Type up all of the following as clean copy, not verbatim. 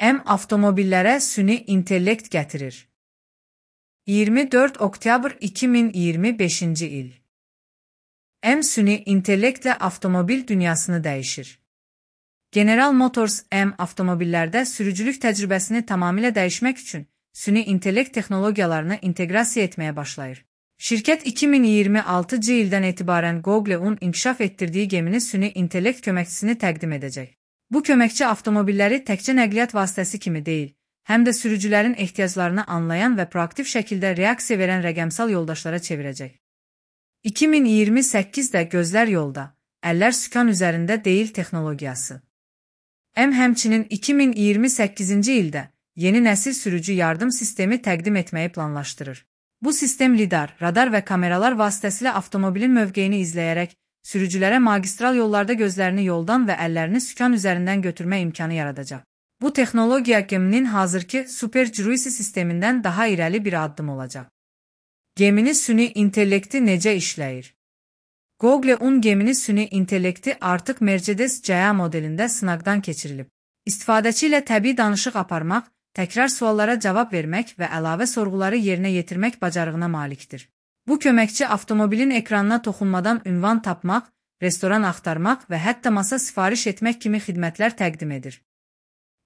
M avtomobillərə süni intellekt gətirir. 24 oktyabr 2025-ci il. M süni intellektlə avtomobil dünyasını dəyişir. General Motors M avtomobillərdə sürücülük təcrübəsini tamamilə dəyişmək üçün süni intellekt texnologiyalarını inteqrasiya etməyə başlayır. Şirkət 2026-cı ildən etibarən Google-un inkişaf etdirdiyi gemini süni intellekt köməkçisini təqdim edəcək. Bu köməkçi avtomobilləri təkcə nəqliyyat vasitəsi kimi deyil, həm də sürücülərin ehtiyaclarını anlayan və proaktiv şəkildə reaksiya verən rəqəmsal yoldaşlara çevirəcək. 2028-də gözlər yolda, əllər sükan üzərində deyil texnologiyası. M həmçinin 2028-ci ildə yeni nəsil sürücü yardım sistemi təqdim etməyi planlaşdırır. Bu sistem lidar, radar və kameralar vasitəsilə avtomobilin mövqeyini izləyərək sürücülərə magistral yollarda gözlərini yoldan və əllərini sükan üzərindən götürmə imkanı yaradacaq. Bu texnologiya geminin hazırki Super Cruise sistemindən daha irəli bir addım olacaq. Gemini süni intellekti necə işləyir? Google-un gemini süni intellekti artıq Mercedes GA modelində sınaqdan keçirilib. İstifadəçi ilə təbii danışıq aparmaq, təkrar suallara cavab vermək və əlavə sorğuları yerinə yetirmək bacarığına malikdir. Bu köməkçi avtomobilin ekranına toxunmadan ünvan tapmaq, restoran axtarmaq və hətta masa sifariş etmək kimi xidmətlər təqdim edir.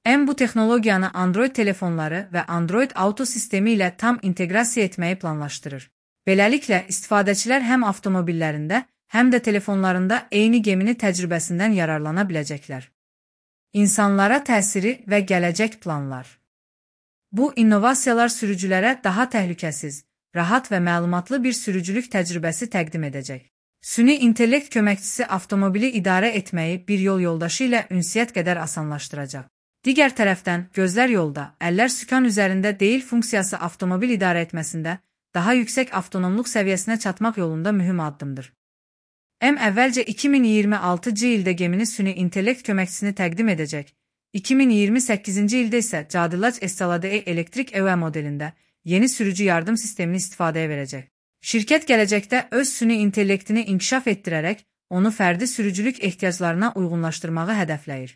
M bu texnologiyanı Android telefonları və Android Auto sistemi ilə tam inteqrasiya etməyi planlaşdırır. Beləliklə, istifadəçilər həm avtomobillərində, həm də telefonlarında eyni gemini təcrübəsindən yararlana biləcəklər. İnsanlara təsiri və gələcək planlar. Bu innovasiyalar sürücülərə daha təhlükəsiz, rahat və məlumatlı bir sürücülük təcrübəsi təqdim edəcək. Süni intellekt köməkçisi avtomobili idarə etməyi bir yol yoldaşı ilə ünsiyyət qədər asanlaşdıracaq. Digər tərəfdən, gözlər yolda, əllər sükan üzərində deyil funksiyası avtomobil idarə etməsində daha yüksək avtonomluq səviyyəsinə çatmaq yolunda mühüm addımdır. M əvvəlcə 2026-cı ildə gemini süni intellekt köməkçisini təqdim edəcək. 2028-ci ildə isə Cadillac Escalade elektrik EV modelində yeni sürücü yardım sistemini istifadəyə verəcək. Şirkət gələcəkdə öz süni intellektini inkişaf etdirərək onu fərdi sürücülük ehtiyaclarına uyğunlaşdırmağı hədəfləyir.